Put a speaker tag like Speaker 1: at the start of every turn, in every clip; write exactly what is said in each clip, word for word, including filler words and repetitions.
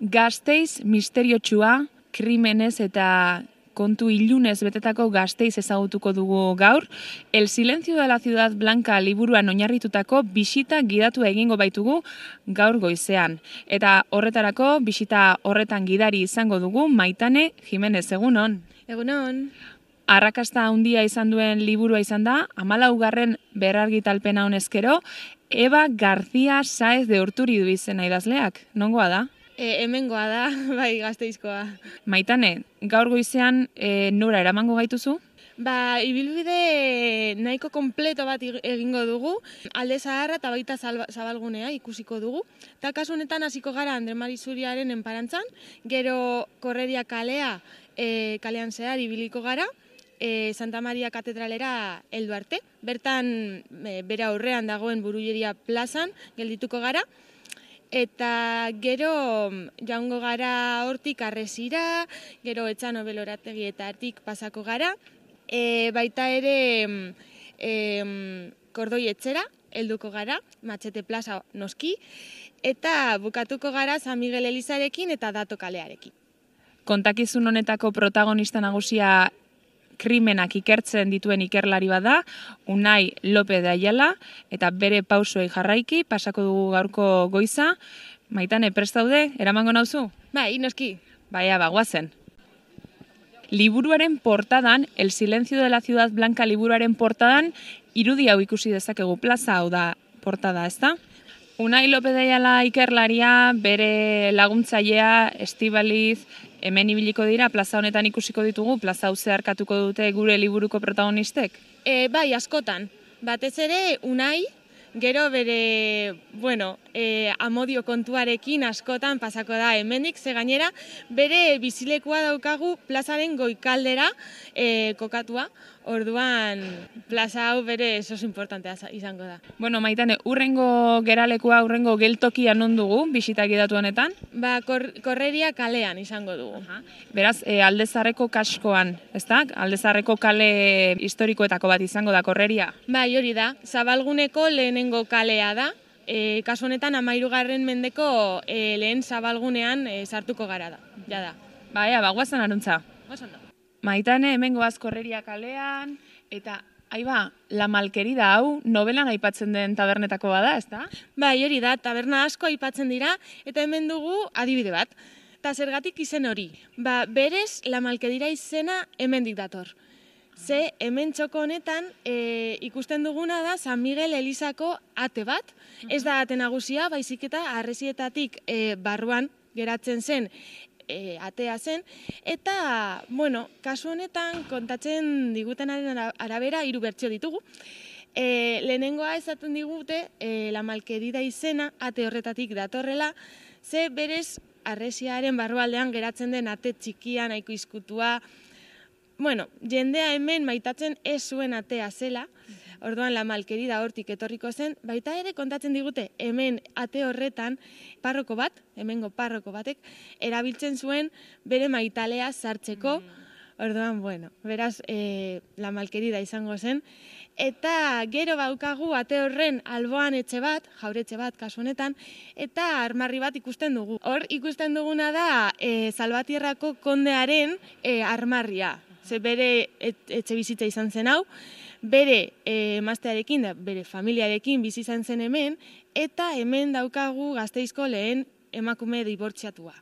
Speaker 1: Gasteiz misteriotsua, krimenez eta kontu ilunez betetako Gasteiz ezagutuko dugu gaur. El silencio de la ciudad blanca liburuan oinarritutako bisita gidatu egingo baitugu gaur goizean. Eta horretarako bisita horretan gidari izango dugu Maitane Jimenez, egunon.
Speaker 2: Egunon.
Speaker 1: Arrakasta handia izan duen liburua izan da, hamalaugarren berrargitalpena honezkero, Eva García Sáez de Urturidu izena idazleak. Nongoa da?
Speaker 2: E, hemengoa da, bai, Gasteizkoa.
Speaker 1: Maitane, gaur goizean e, nora eramango gaituzu?
Speaker 2: Ba, ibilbide nahiko kompleto bat egingo dugu, Alde Zaharra eta baita Zabalgunea ikusiko dugu. Eta kasu honetan hasiko gara Andre Mari Zuriaren enparantzan, gero Korreria kalea e, kalean zehar ibiliko gara, e, Santa Maria katedralera heldu arte. Bertan e, bere aurrean dagoen Burulleria plazan geldituko gara. Eta gero joango gara hortik Arresira, gero Etxano Belorategi eta Artik pasako gara. E, baita ere e, Kordoi etxera helduko gara, Matxete plaza noski, eta bukatuko gara San Miguel Elizarekin eta Dato kalearekin.
Speaker 1: Kontakizun honetako protagonista nagusia krimenak ikertzen dituen ikerlari bada, Unai López de Ayala, eta bere pausoei jarraiki, pasako dugu gaurko goiza. Maitane, prest daude, eramango nauzu?
Speaker 2: Bai, noski.
Speaker 1: Baia, bagoazen. Liburuaren portadan, El silencio de la ciudad blanca liburuaren portadan, irudi hau ikusi dezakegu, plaza hau da portada, ezta? Unai López de Ayala ikerlaria, bere laguntzailea, Estibaliz, hemen ibiliko dira, plaza honetan ikusiko ditugu, plaza hau zeharkatuko dute gure liburuko protagonistek?
Speaker 2: E, bai, askotan. Batez ere, Unai, gero bere, bueno, e, amodio kontuarekin askotan pasako da hemendik, ze gainera, bere bizilekua daukagu plazaren goikaldera e, kokatua, orduan plaza hau bere esos importantea izango da.
Speaker 1: Bueno, Maitane, urrengo geralekua, urrengo geltokia non dugu, bisita gidatu honetan?
Speaker 2: Ba, kor, Korreria kalean izango dugu.
Speaker 1: Aha. Beraz, e, Alde Zaharreko kaskoan, ezta? Alde Zaharreko kale historikoetako bat izango da Korreria?
Speaker 2: Bai, hori da. Zabalguneko lehenengo kalea da. E, kasu honetan hamahirugarren mendeko e, lehen Zabalgunean e, sartuko gara da. Ja da.
Speaker 1: Baia, bagoazan aruntza.
Speaker 2: Oso ondo.
Speaker 1: Maitane, hemen goaz Korreria kalean, eta aiba, La Malkerida hau novelan aipatzen den tabernetako bada, ezta?
Speaker 2: Bai, hori da, taberna asko aipatzen dira, eta hemen dugu adibide bat. Eta zergatik izen hori? Ba, berez, La Malkerida izena hemendik dator. Ze hemen txoko honetan e, ikusten duguna da San Miguel Elizako ate bat. Ez da ate nagusia, baizik eta harresietatik e, barruan geratzen zen e, atea zen. Eta, bueno, kasu honetan kontatzen digutenaren arabera hiru bertsio ditugu. E, lehenengoa esaten digute e, La Malkerida izena ate horretatik datorrela, ze berez harresiaren barrualdean geratzen den ate txikia, nahiko izkutua. Bueno, jendea hemen maitatzen ez zuen atea zela, orduan La Malkerida hortik etorriko zen, baita ere kontatzen digute hemen ate horretan parroko bat, hemengo parroko batek, erabiltzen zuen bere maitalea sartzeko, orduan, bueno, beraz, e, La Malkerida izango zen, eta gero baukagu ate horren alboan etxe bat, jauretxe bat kasu honetan, eta armarri bat ikusten dugu. Hor ikusten duguna da e, Salvatierrako kondearen e, armarria. Ze bere et, etxe bizitza izan zen hau, bere e, emaztearekin, bere familiarekin bizi izan zen hemen, eta hemen daukagu Gasteizko lehen emakume dibortziatua.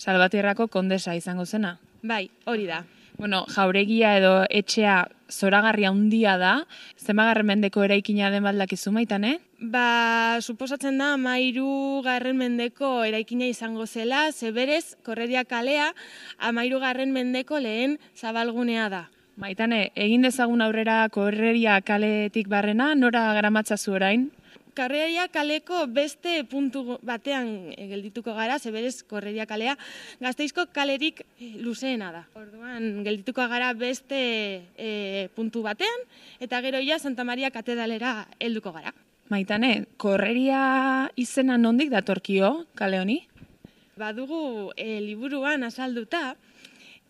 Speaker 1: Salvatierrako kondesa izango zena?
Speaker 2: Bai, hori da.
Speaker 1: Bueno, jauregia edo etxea zoragarria handia da, zenbagarren mendeko eraikina den baldakizu, Maitane?
Speaker 2: Ba, suposatzen da hamahirugarren mendeko eraikina izango zela, ze berez, Korreria kalea hamahirugarren mendeko lehen Zabalgunea da.
Speaker 1: Maitane, egin dezagun aurrera Korreria kaletik barrena, nora garamatzazu orain?
Speaker 2: Korreria kaleko beste puntu batean geldituko gara, ze berez Korreria kalea Gasteizko kalerik luzeena da. Orduan geldituko gara beste e, puntu batean, eta gero ja Santa Maria katedralera helduko gara.
Speaker 1: Maitane, Korreria izena nondik datorkio kale honi?
Speaker 2: Badugu e, liburuan azalduta,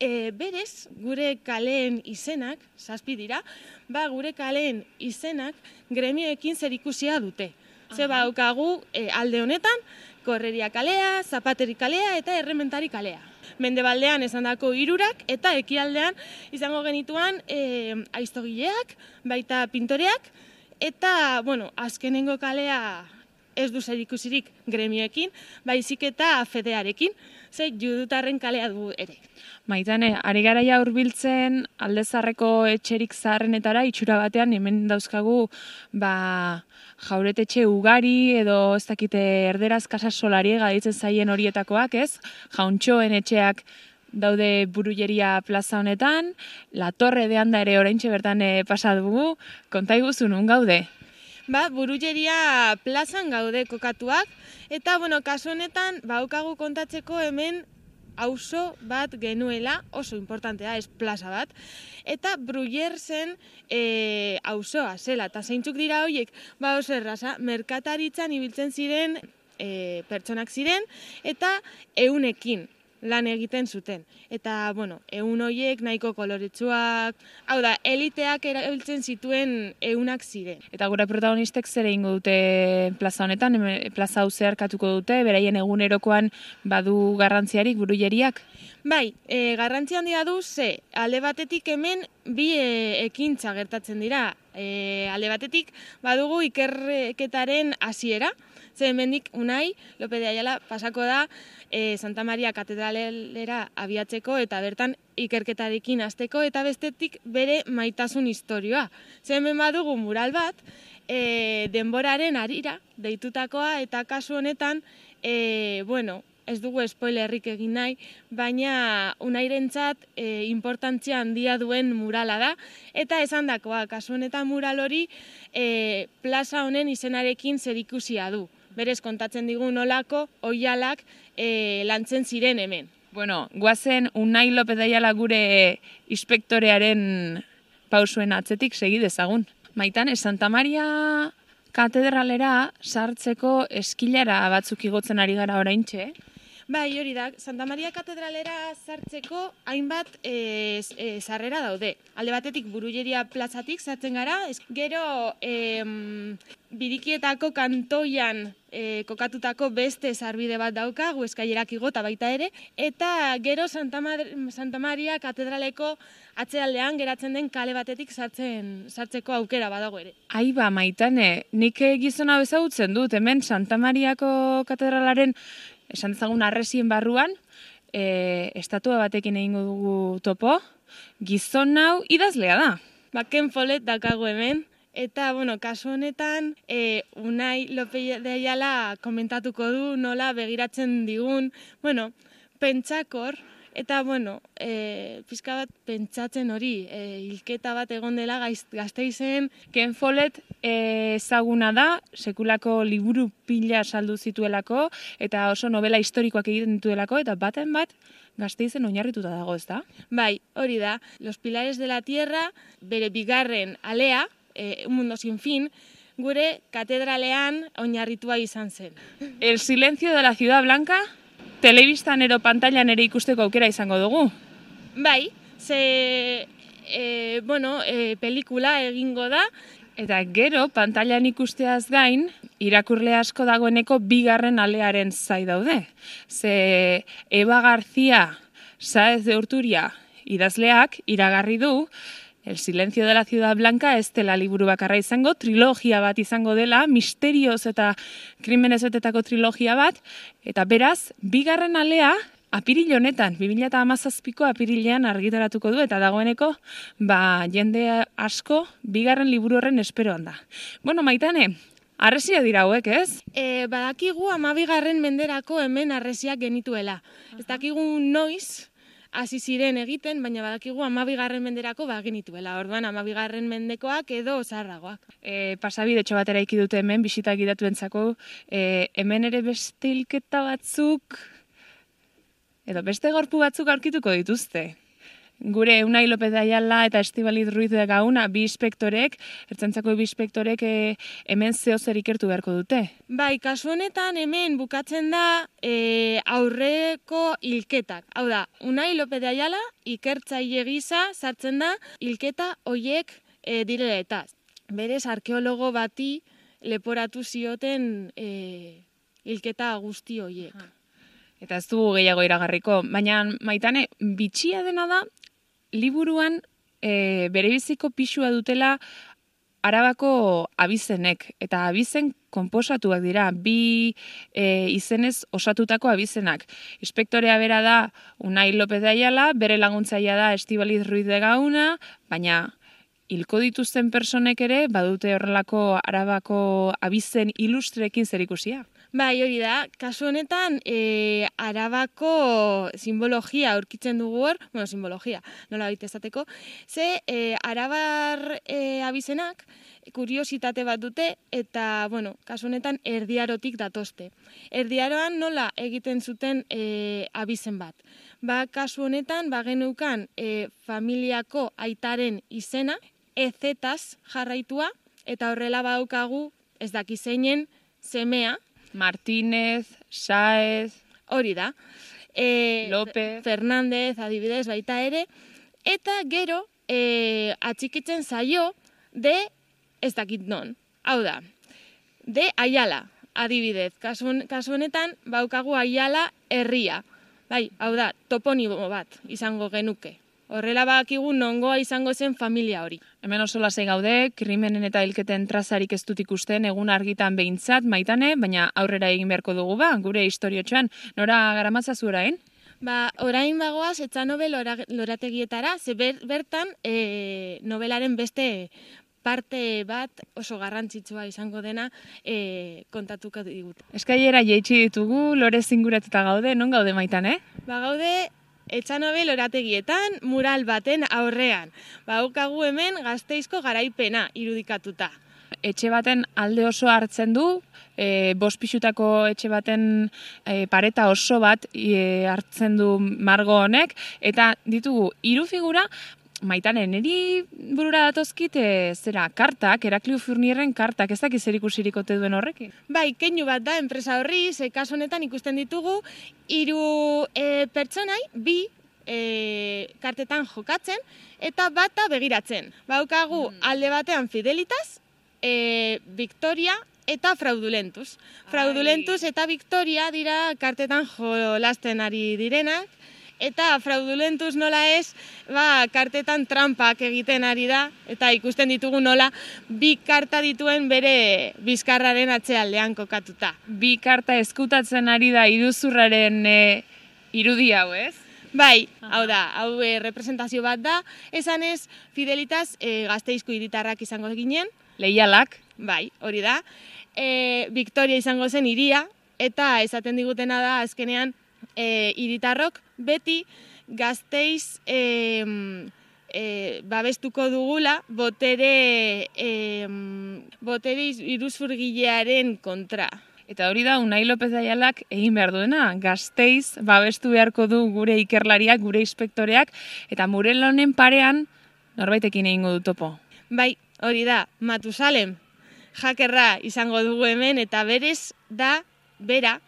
Speaker 2: e, berez gure kaleen izenak, zazpi dira, ba gure kaleen izenak gremioekin zerikusia dute. Ze badaukagu e, alde honetan, Korreria kalea, Zapateri kalea eta Errementari kalea. Mendebaldean esandako hirurak eta ekialdean izango genituan e, aiztogileak, baita pintoreak, eta, bueno, azkenengo kalea ez du zerikusirik gremioekin, baizik eta fedearekin, ze judutarren kalea du ere.
Speaker 1: Maitane, ari garaia hurbiltzen Aldezarreko etxerik zaharrenetara, itxura batean hemen dauzkagu ba, jauretetxe ugari edo ez dakite erderaz kasa solariega ditzen zaien horietakoak, ez? Jauntxoen etxeak daude Burulleria plaza honetan, La Torre de Anda ere oraintxe bertan e, pasa dugu, konta iguzu nun gaude?
Speaker 2: Ba, Burulleria plazan gaude kokatuak, eta, bueno, kasu honetan, baukagu kontatzeko hemen auzo bat genuela, oso importantea, ez plaza bat, eta Brullersen e, auzoa zela, eta zeintzuk dira horiek, ba oso erraza, merkataritzan ibiltzen ziren e, pertsonak ziren, eta eunekin lan egiten zuten. Eta, bueno, eun horiek nahiko koloretsuak, hau da, eliteak erabiltzen zituen eunak ziren.
Speaker 1: Eta gure protagonistek zer egingo dute plaza honetan, plaza hau zeharkatuko dute, beraien egunerokoan badu garrantziarik Burulleriak?
Speaker 2: Bai, e, garrantzia handia du ze, alde batetik hemen bi e, ekintza gertatzen dira. E, alde batetik badugu ikerketaren hasiera, ze hemendik Unai López de Ayala pasako da e, Santa Maria katedralera abiatzeko eta bertan ikerketarekin hasteko eta bestetik bere maitasun historioa. Ze hemen badugu mural bat, e, denboraren harira deitutakoa eta kasu honetan, e, bueno, ez dugu spoilerrik egin nahi, baina Unairentzat e, importantzia handia duen murala da, eta esandakoa, kasu honetan mural hori e, plaza honen izenarekin zerikusia du. Berez kontatzen digu nolako oihalak e, lantzen ziren hemen.
Speaker 1: Bueno, guazen Unai López de Ayala gure inspektorearen pausuen atzetik segi dezagun. Maitane, Santa Maria katedralera sartzeko eskilara batzuk igotzen ari gara oraintxe.
Speaker 2: Bai, hori da, Santa Maria katedralera sartzeko hainbat e, e, sarrera daude. Alde batetik Burulleria plazatik sartzen gara, gero e, Birikietako kantoian e, kokatutako beste sarbide bat dauka, Eskaillerak igota baita ere, eta gero Santa, Mar Santa Maria katedraleko atzealdean geratzen den kale batetik sartzen sartzeko aukera badago ere.
Speaker 1: Aiba, Maitane, nik gizona bezagutzen dut, hemen Santa Mariako katedralaren esan dezagun arresien barruan, e, estatua batekin egingo dugu topo, gizon hau idazlea da.
Speaker 2: Ba, Ken Follett daukagu hemen, eta, bueno, kasu honetan, e, Unai López de Ayala komentatuko du, nola begiratzen digun, bueno, pentsakor, eta, bueno, e, pizka bat pentsatzen hori, e, hilketa bat egon dela Gasteizen.
Speaker 1: Ken Follett e, ezaguna da, sekulako liburu pila saldu zituelako, eta oso novela historikoak egiten dituelako, eta baten bat Gasteizen oinarrituta dago, ez da?
Speaker 2: Bai, hori da, Los Pilares de la Tierra, bere bigarren alea, e, Un Mundo Sin Fin, gure katedralean oinarritua izan zen.
Speaker 1: El silencio de la Ciudad Blanca, telebistan ero pantailan ere ikusteko aukera izango dugu.
Speaker 2: Bai, ze, e, bueno, e, pelikula egingo da.
Speaker 1: Eta gero, pantailan ikusteaz gain, irakurle asko dagoeneko bigarren alearen zai daude. Ze Eva García Sáez de Urturia idazleak iragarri du, El silencio de la Ciudad Blanca ez dela liburu bakarra izango, trilogia bat izango dela, misterioz eta krimenez betetako trilogia bat, eta beraz, bigarren alea, apiril honetan, bi mila hamazazpiko apirilean argitaratuko du, eta dagoeneko, ba, jende asko, bigarren liburu horren esperoan da. Bueno, Maitane, harresia dira hauek, ez?
Speaker 2: E, badakigu amabigarren menderako hemen harresiak genituela. Ez dakigu noiz, hasi ziren egiten, baina badakigu amabigarren menderako bagenituela. Orduan, amabigarren mendekoak edo zaharragoak.
Speaker 1: E, pasabide txo batera iki dute hemen, bisitak gidatuentzako, e, hemen ere beste hilketa batzuk, edo beste gorpu batzuk aurkituko dituzte. Gure Unai López de Ayala eta Estibaliz Ruiz de Gauna, bi inspektorek, ertzaintzako bi inspektorek e, hemen zeo zer ikertu beharko dute.
Speaker 2: Bai, kasu honetan hemen bukatzen da e, aurreko hilketak. Hau da, Unai López de Ayala ikertzaile gisa sartzen da hilketa hoiek e, direla eta. Berez, arkeologo bati leporatu zioten e, hilketa guzti horiek.
Speaker 1: Eta ez dugu gehiago iragarriko, baina Maitane, bitxia dena da, liburuan e, berebiziko pisua dutela Arabako abizenek, eta abizen konposatuak dira, bi e, izenez osatutako abizenak. Inspektorea bera da Unai López de Ayala, bere laguntzailea da Estibaliz Ruiz de Gauna, baina hilko dituzten personek ere badute horrelako Arabako abizen ilustrekin zerikusia.
Speaker 2: Bai, hori da, kasu honetan e, Arabako simbologia aurkitzen dugu hor, bueno, simbologia, nola baita esateko, ze e, Arabar e, abizenak kuriositate bat dute eta, bueno, kasu honetan erdiarotik datozte. Erdiaroan nola egiten zuten e, abizen bat. Ba, kasu honetan, ba geneukan e, familiako aitaren izena, ezetaz jarraitua, eta horrela badaukagu ez daki zeinen semea,
Speaker 1: Martínez, Sáez,
Speaker 2: hori da. E,
Speaker 1: López,
Speaker 2: Fernández, adibidez, baita ere. Eta gero, e, atxikitzen zaio de ez dakit non. Hau da, de Ayala, adibidez. Kasu, kasu honetan, baukagu Ayala herria. Bai, hau da, toponimo bat izango genuke. Horrela badakigu nongoa izango zen familia hori.
Speaker 1: Hemen oso lasai gaude, krimenen eta hilketen trazarik ez dut ikusten egun argitan behintzat, Maitane, baina aurrera egin beharko dugu ba, gure historiotxoan. Nora garamatzazu orain?
Speaker 2: Ba, orain bagoaz, etxa nobel lorategietara, ze ber, bertan e, novelaren beste parte bat oso garrantzitsua izango dena e, kontatuko digut.
Speaker 1: Eskailera jaitsi ditugu, lore zinguratuta gaude, non gaude Maitane?
Speaker 2: Ba, gaude Etxanobel orategietan, mural baten aurrean. Baukagu hemen Gasteizko garaipena irudikatuta.
Speaker 1: Etxe baten alde oso hartzen du, e, bost pixutako etxe baten e, pareta oso bat e, hartzen du margo honek, eta ditugu hiru figura, Maitane, niri burura datozkit e, zera, kartak, Heraklio Fournierren kartak, ez dakiz zer ikusirik ote duen horrekin?
Speaker 2: Bai, keinu bat da enpresa horri, ze kasu honetan ikusten ditugu hiru e, pertsonai, bi e, kartetan jokatzen, eta bata begiratzen. Baukagu mm. alde batean Fidelitas, e, Victoria eta Fraudulentus. Fraudulentus eta Victoria dira kartetan jolasten ari direnak, eta Fraudulentus nola ez, ba, kartetan trampak egiten ari da, eta ikusten ditugu nola bi karta dituen bere bizkarraren atzealdean kokatuta.
Speaker 1: Bi karta eskutatzen ari da iruzurraren e, irudi hau, ez?
Speaker 2: Bai, hau da, hau e, representazio bat da, esan ez Fidelitas e, Gasteizko hiritarrak izango ginen.
Speaker 1: Leialak.
Speaker 2: Bai, hori da. E, Victoria izango zen hiria, eta esaten digutena da azkenean E, hiritarrok beti Gasteiz e, e, babestuko dugula botere, e, botere iruzurgilearen kontra.
Speaker 1: Eta hori da Unai López de Ayalak egin behar duena, Gasteiz babestu beharko du gure ikerlariak, gure inspektoreak, eta Murel honen parean norbaitekin egingo du topo.
Speaker 2: Bai, hori da, Matusalem, jakerra izango dugu hemen, eta berez da, bera,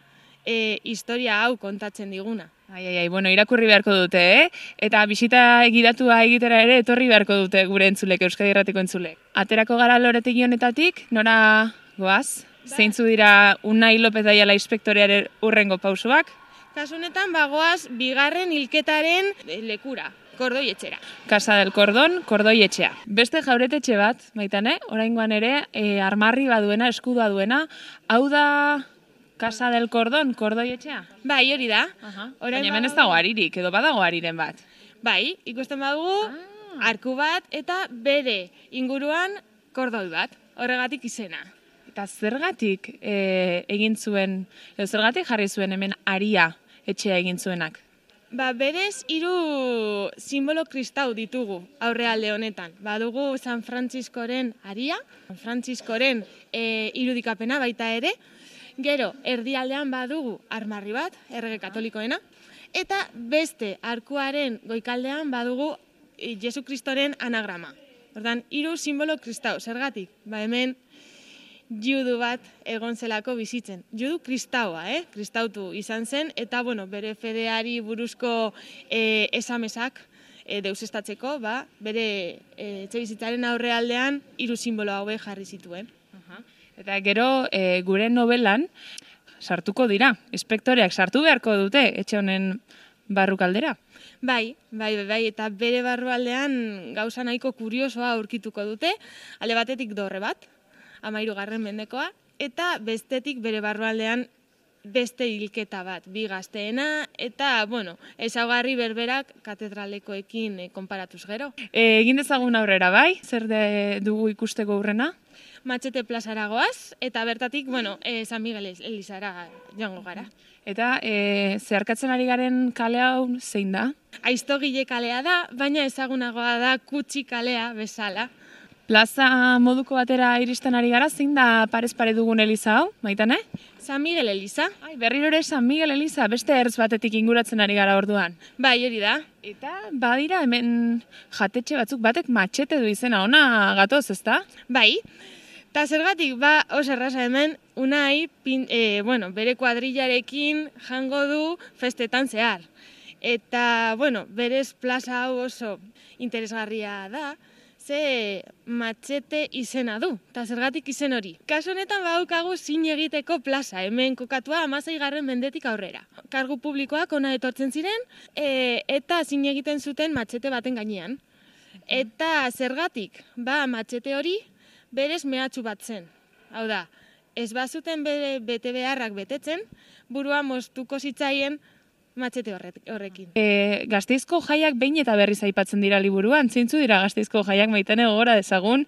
Speaker 2: E, historia hau kontatzen diguna.
Speaker 1: Ai, ai, ai, bueno, irakurri beharko dute, eh? Eta bisita egidatua egitera ere etorri beharko dute gure entzulek, Euskadi Irratiko entzulek. Aterako gara loretegi honetatik, nora goaz? Ba. Zeintzu dira Unai López de Ayala inspektorearen urrengo pausoak?
Speaker 2: Kasu honetan bagoaz bigarren hilketaren lekura. Kordoi etxera.
Speaker 1: Casa del Cordón, Kordoi etxea. Beste jauretetxe bat, Maitane, oraingoan ere, e, armarri baduena, eskudua duena, hau da Casa del Cordón, Kordoi etxea?
Speaker 2: Bai, hori da.
Speaker 1: Uh-huh. Baina hemen ez dago aririk, edo badago ariren bat.
Speaker 2: Bai, ikusten badugu, ah. arku bat eta bere inguruan kordoi bat, horregatik izena.
Speaker 1: Eta zergatik e, egin zuen, edo zergatik jarri zuen hemen aria etxea egin zuenak?
Speaker 2: Ba, berez hiru simbolo kristau ditugu aurrealde honetan. Badugu San Frantziskoren aria, San Frantziskoren e, irudikapena baita ere, gero, erdialdean badugu armarri bat, errege katolikoena, eta beste arkuaren goikaldean badugu Jesu Kristoren anagrama. Ordan, hiru simbolo kristau, zergatik? Ba, hemen judu bat egon zelako bizitzen. Judu kristaua, eh? Kristautu izan zen, eta, bueno, bere fedeari buruzko e, esamesak e, deusestatzeko, ba, bere e, etxe bizitzaren aurrealdean hiru simbolo hauek jarri zituen.
Speaker 1: Eta gero e, gure novelan sartuko dira, inspektoreak sartu beharko dute etxe honen barrukaldera.
Speaker 2: Bai, bai, bai, bai, eta bere barrualdean gauza nahiko kuriosoa aurkituko dute, alde batetik dorre bat, hamahirugarren mendekoa, eta bestetik bere barrualdean beste hilketa bat, bi gazteena, eta, bueno, ezaugarri berberak katedralekoekin e, konparatuz gero.
Speaker 1: E, egin dezagun aurrera bai, zer de, dugu ikusteko urrena?
Speaker 2: Matxete plazara goaz, eta bertatik, bueno, e, San Miguel Elizara joango gara.
Speaker 1: Eta e, zeharkatzen ari garen kale hau zein da?
Speaker 2: Aiztogile kalea da, baina ezagunagoa da Kutxi kalea bezala.
Speaker 1: Plaza moduko batera iristen ari gara, zein da parez pare dugun eliza hau, Maitane?
Speaker 2: San Miguel Eliza.
Speaker 1: Ai, berriro ere San Miguel Eliza, beste ertz batetik inguratzen ari gara orduan.
Speaker 2: Bai, hori da.
Speaker 1: Eta badira hemen jatetxe batzuk batek matxete du izena, ona gatoz, ezta?
Speaker 2: Bai. Ta zergatik, ba, oso erraza hemen, Unai, pin, e, bueno, bere kuadrillarekin jango du festetan zehar. Eta, bueno, berez plaza hau oso interesgarria da, ze matxete izena du, eta zergatik izen hori. Kasu honetan badaukagu zin egiteko plaza, hemen kokatua hamaseigarren mendetik aurrera. Kargu publikoak ona etortzen ziren, e, eta zin egiten zuten matxete baten gainean. Eta zergatik, ba, matxete hori berez mehatxu bat zen. Hau da, ez bazuten bere bete beharrak betetzen, burua moztuko zitzaien matxete horrekin.
Speaker 1: E, Gasteizko jaiak behin eta berriz aipatzen dira liburuan, zeintzu dira Gasteizko jaiak, Maitane, gogora dezagun?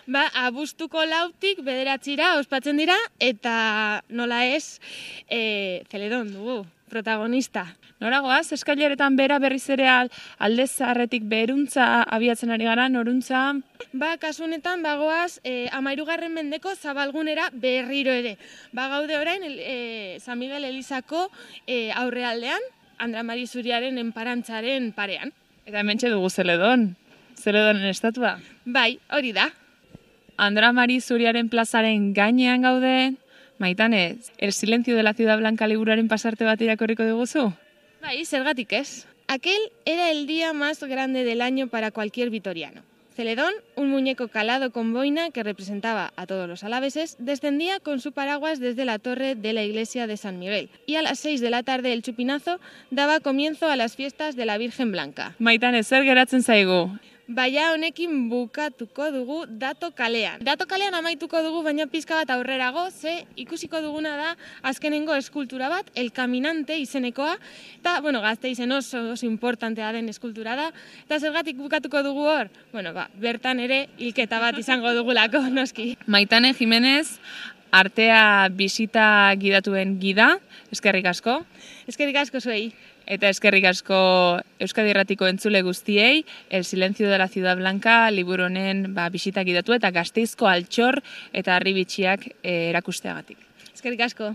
Speaker 2: Ba, abuztuko lautik bederatzira ospatzen dira, eta nola ez, e, Zeledon dugu, protagonista.
Speaker 1: Nora goaz, eskaileretan bera berriz ere alde zaharretik beruntza abiatzen ari gara, noruntza?
Speaker 2: Ba, kasu honetan, bagoaz, e, hamahirugarren mendeko zabalgunera berriro ere. Ba, gaude orain, e, San Miguel Elizako e, aurrealdean, Andra Mari Zuriaren enparantzaren parean.
Speaker 1: Eta hementxe dugu Zeledon, Zeledonen estatua.
Speaker 2: Bai, hori da.
Speaker 1: Andra Mari Zuriaren plazaren gainean gaude, Maitane, El silencio de la ciudad blanca liburuaren pasarte bat irakurriko diguzu?
Speaker 2: Bai, zergatik ez. Aquel era el día más grande del año para cualquier vitoriano. Celedón, un muñeco calado con boina que representaba a todos los alaveses, descendía con su paraguas desde la torre de la iglesia de San Miguel. Y a las seis de la tarde el chupinazo daba comienzo a las fiestas de la Virgen Blanca.
Speaker 1: Maitane, zer geratzen zaigu?
Speaker 2: Baina honekin bukatuko dugu Dato kalean. Dato kalean amaituko dugu, baina pizka bat aurrerago, ze ikusiko duguna da azkenengo eskultura bat, El Caminante izenekoa, eta, bueno, Gasteizen oso, oso importantea den eskultura da, eta zergatik bukatuko dugu hor? Bueno, ba, bertan ere hilketa bat izango dugulako, noski.
Speaker 1: Maitane Jimenez, artea bisita gidatuen gida, eskerrik asko.
Speaker 2: Eskerrik asko zuei.
Speaker 1: Eta eskerrik asko Euskadi Irratiko entzule guztiei, El silencio de la ciudad blanca liburu honen ba, bisita gidatu eta Gasteizko altxor eta harribitxiak eh, erakusteagatik.
Speaker 2: Eskerrik asko.